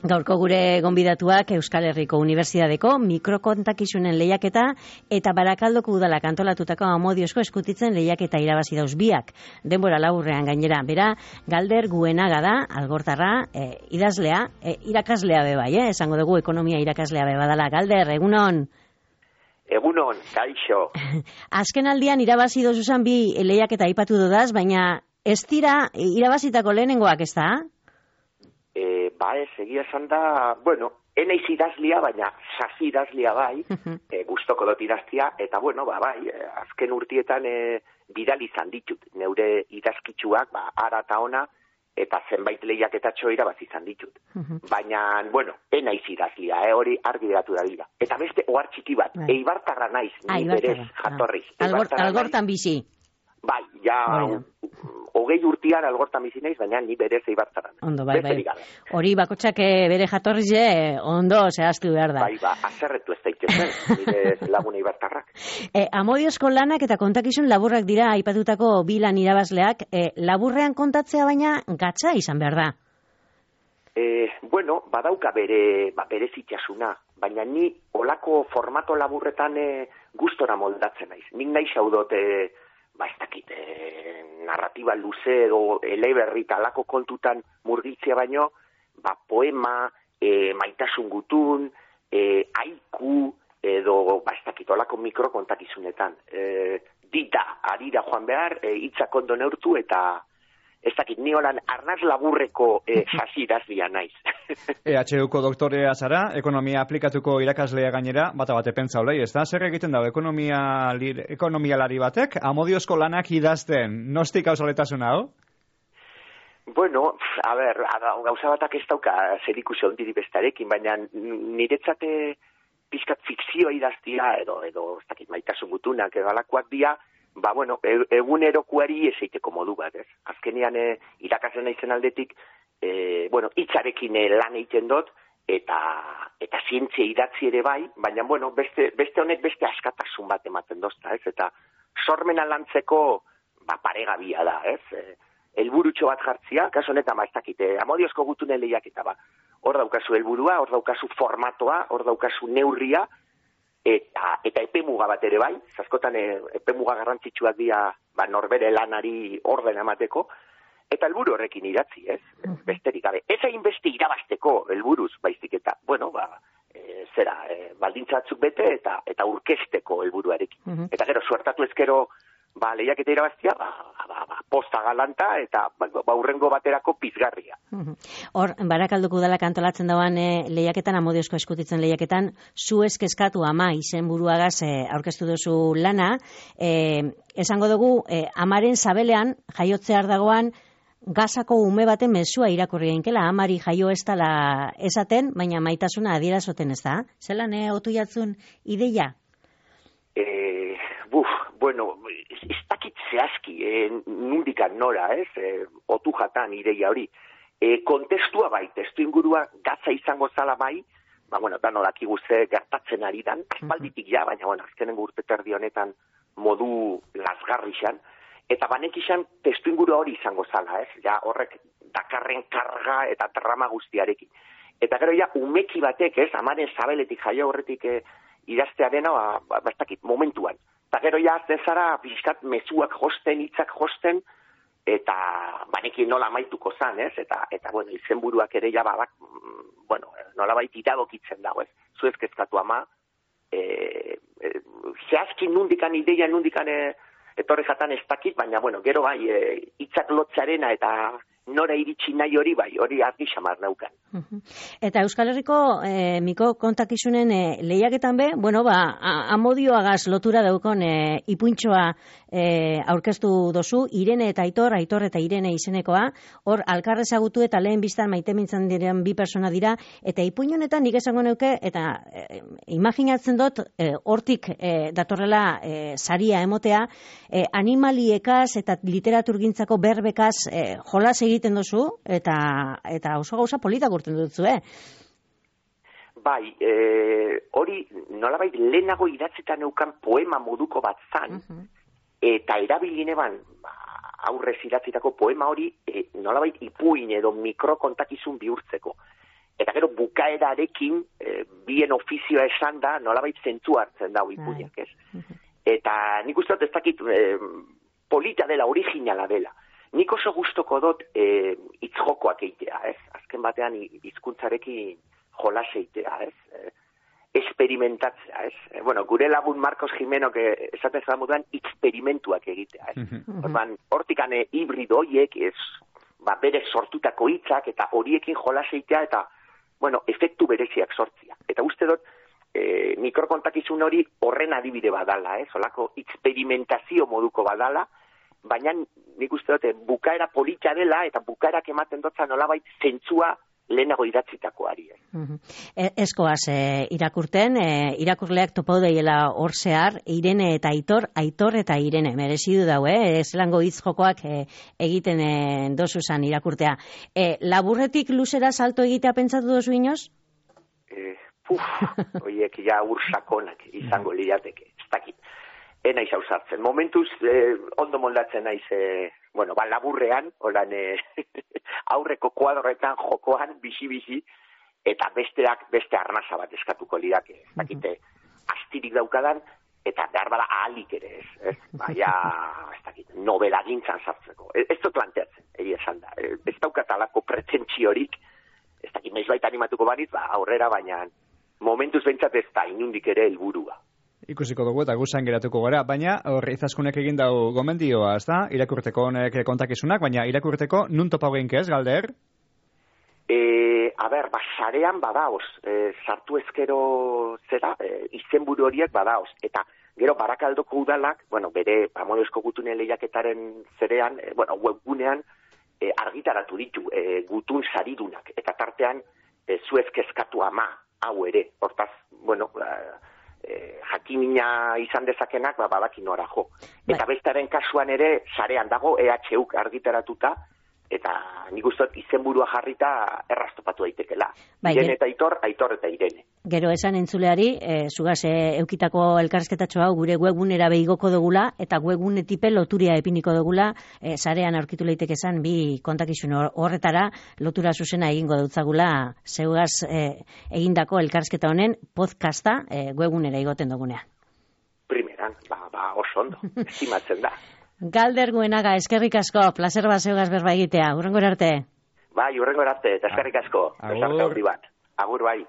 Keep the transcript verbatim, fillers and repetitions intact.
Gaurko gure gonbidatuak Euskal Herriko Unibertsitateko mikrokontakizunen lehiaketa eta Barakaldoko udalak antolatutako Amodiozko eskutitzen lehiaketa irabazi dauz biak. Denbora laburrean gainera, bera, Galder Guenaga da, algortarra, e, idazlea, e, irakaslea be bai, eh? Esango dugu ekonomia irakaslea be badala. Galder, egunon? Egunon, kaixo. Azken aldian irabazi dozuzan bi lehiaketa aipatu dudaz, baina ez dira irabazitako lehenengoak, ez da? E, ba ez, egia esan da, bueno, eneiz idazlia, baina sasi idazlia bai, e, gustoko dut idaztia, eta bueno, ba bai, e, azken urtietan e, bidali izan ditut, neure idazkitsuak, ba, ara eta ona, eta zenbait lehiaketatxo irabazi izan ditut. Baina, bueno, eneiz idazlia, eh, hori argi geratu da dira. Eta beste, ohar txiki bat, bai. Eibartarra naiz, ni berez jatorriz. Algort, algortan bizi. Bai, ja, hogei urtean algortan bizi naiz, baina ni berez eibartarra. Ondo, bai, bai. Hori bakotxak bere jatorriz, ondo zehaztu behar da. Bai, ba, azerretu ez daitezen, nire lagun eibartarrak. E, Amodiozko lanak eta kontakizun laburrak dira aipatutako bi lan irabazleak, e, laburrean kontatzea baina gatza izan behar da. E, bueno, badauka bere, ba, bere zitxasuna, baina ni olako formato laburretan e, gustora moldatzen naiz. Nik nahi xaudot, e, ba ez dakit, e, narratiba luze edo eleberri talako kontutan murgiltzea baino, ba poema, e, maitasun gutun, e, haiku, edo ba ez dakit, olako mikrokontakizunetan. E, dita, arira joan behar, e, hitzak ondo neurtu eta ez dakit, ni holan arnaz laburreko e, sasi idazlia naiz. E H Uko doktorea zara, ekonomia aplikatuko irakaslea gainera, bata bate pentsa olei, ez da? Zer egiten dago ekonomia ekonomialari batek, Amodiozko lanak idazten, nostik hausoletasuna, hau? Bueno, a ber, gauza batak ez dauka zerikusi ondiri bestarekin, baina niretzate pixkat fikzioa idaztia, edo, edo ez dakit, maitasun gutunak, edo alakoak dia, ba, bueno, egunerokuari eseiteko modu bat, ez? Azkenean, e, irakasen naizen aldetik, e, bueno, hitzarekin lan egiten dut, eta, eta zientzia idatzi ere bai, baina, bueno, beste, beste honek beste askatasun bat ematen dozta, ez? Eta sormena lantzeko, ba, paregabia da, ez? E, helburutxo bat jartzia, kaso honetan, ba, ez dakite, Amodiozko gutunen lehiaketa, ba, hor daukazu helburua, hor daukazu formatoa, hor daukazu neurria, Eta, eta epemuga bat ere bai, zaskotan epemuga garrantzitsuak dira ba, norbere lanari orden emateko, eta helburu horrekin idatzi, ez? Besterik gabe. Ez hain beste irabazteko helburuz, baizik eta, bueno, ba, e, zera, e, baldintzatzuk bete eta eta urkesteko helburuarekin. Uh-huh. Eta gero, suertatu ezkero, ba, lehiaketa irabaztia, ba, ba, ba, posta galanta eta ba, ba, urrengo baterako pizgarria. Hor, Barakaldoko udalak antolatzen dauan e, lehiaketan, Amodiozko eskutitzen lehiaketan, zu eskeskatu ama izen buruagaz e, aurkeztu duzu lana, e, esango dugu, e, amaren zabelean, jaiotzear dagoan, gazako ume baten mezua irakurri gainkela, amari jaio ez dela esaten, baina maitasuna adierazoten ez da? Zelan, e, otu jatzun ideia? Eh, buf, bueno, ez dakit zehazki, eh, nundikan nora, ez, eh, otu jatan ideia hori. Eh, kontestua bai, testu ingurua gatza izango zala bai, ba, bueno, da nodakigu ze gertatzen ari dan, aspalditik ja, baina, bueno, azkenengo urte terdi honetan modu lasgarrixan, eta banek izan testu ingurua hori izango zala, ez, ja, horrek dakarren karga eta trama guztiarekin. Eta gero ja, umeki batek, ez, amaren zabeletik jaio horretik, eh, idaztea dena, ba, ba, ba, momentuan. Eta gero ja, azten zara, bizkat mezuak josten, hitzak josten, eta banekin nola maituko zan, ez? Eta, eta bueno, izenburuak ere ja, ba, bueno, nola baita iradokitzen dago, ez? Zuez kezkatu ama, e, e, zehazkin nundikan ideia, nundikan e, etorri jatan ez dakit, baina, bueno, gero bai, e, hitzak lotzearena eta nora iritsi nahi hori bai, hori argi xamar naukan. Eta Euskal Herriko e, miko kontakizunen e, lehiaketan be, bueno, ba, Amodioagaz lotura daukon e, ipuintxoa e, aurkeztu dozu, Irene eta Aitor, Aitor eta Irene izenekoa, hor alkarrezagutu eta lehen biztan maite mintzen diren bi persona dira, eta ipuin honetan nik esango neuke, eta e, imaginatzen dut, e, hortik e, datorrela e, saria emotea, e, animaliekaz eta literaturgintzako berbekaz e, jolas egiten duzu, eta eta oso gauza politak urten dutzu, eh? Bai, e, hori nolabait lehenago idatzetan neukan poema moduko bat zan, uh-huh. Eta erabilineban ba, aurrez idatzitako poema hori e, nolabait ipuin edo mikrokontakizun bihurtzeko. eta gero bukaerarekin e, bien ofizioa esan da, nolabait zentu hartzen dago ipuinak, ez? Eta nik uste dut ez dakit e, polita dela, originala dela. Nik oso gustoko dut e, itzjokoak eitea, ez? Azken batean hizkuntzarekin jolas eitea, ez? E, experimentatzea, ez? E, bueno, gure lagun Marcos Jimenok esaten zara moduan experimentuak egitea, ez? Orban, hortikan e, hibrido horiek, ez, ba, bere sortutako hitzak eta horiekin jolas eitea eta, bueno, efektu bereziak sortzia. Eta uste dut, e, mikrokontakizun hori horren adibide badala, ez? Olako experimentazio moduko badala, baina nik uste dut bukaera polita dela eta bukaerak ematen dutza nolabait zentzua lehenago idatzitakoari. Uh-huh. E, eskoaz e, irakurten, e, irakurleak topau daiela hor zehar, Irene eta Aitor, Aitor eta Irene, merezidu dau, eh? Zelango hitz jokoak e, egiten e, dozuzan irakurtea. E, laburretik luzera salto egitea pentsatu dozu inoz? E, puf, oiek ja ursakonak izango lirateke, ez dakit. Ena izau sartzen. Momentuz, eh, ondo moldatzen naiz, eh, bueno, ba, laburrean, holan, eh, aurreko kuadroetan jokoan, bizi-bizi, eta besteak, beste arnasa bat eskatuko lidake. Ez dakite, astirik daukadan, eta behar bada ahalik ere, ez, ez, baina, ez dakit, novela gintzan sartzeko. Ez, ez dut planteatzen, egia esan da. Ez daukatalako pretentziorik, ez dakit, meiz baita animatuko banit, ba, aurrera, baina, momentuz behintzat ez da, inundik ere helburua. Ikusiko dugu eta guzan geratuko gara, baina horri izaskunek egin dau gomendioa, ez da? Irakurteko honek kontakizunak, baina irakurteko nun topau geinkez, Galder? E, a ber, ba, sarean badaoz, e, sartu ezkero zera, e, izenburu horiek badaoz, eta gero Barakaldoko udalak, bueno, bere Amodiozko gutune lehiaketaren zerean, e, bueno, webgunean e, argitaratu ditu e, gutun saridunak, eta tartean e, zuez kezkatu ama, hau ere, hortaz, bueno, e, Eh, jakimina izan dezakenak, ba, badaki nora jo. Eta bestaren kasuan ere, sarean dago, E H Uk argitaratuta, eta nik uste izenburua jarrita errastopatu daitekela. Bai, Irene eta Aitor, Aitor eta Irene. Gero esan entzuleari, e, zugaz e, eukitako elkarrizketatxo hau gure webgunera behigoko dugula, eta webgunetipe loturia epiniko dugula, e, sarean aurkitu leiteke esan bi kontakizun horretara lotura zuzena egingo dutzagula, zeugaz e, egindako elkarrizketa honen podcasta e, webgunera igoten dugunean. Primeran, ba, ba oso ondo, estimatzen da. Galder Guenaga, eskerrik asko, placer bat zeugaz berba egitea, hurrengora arte. Bai, hurrengora arte, eta eskerrik asko, Agur. Agur bai.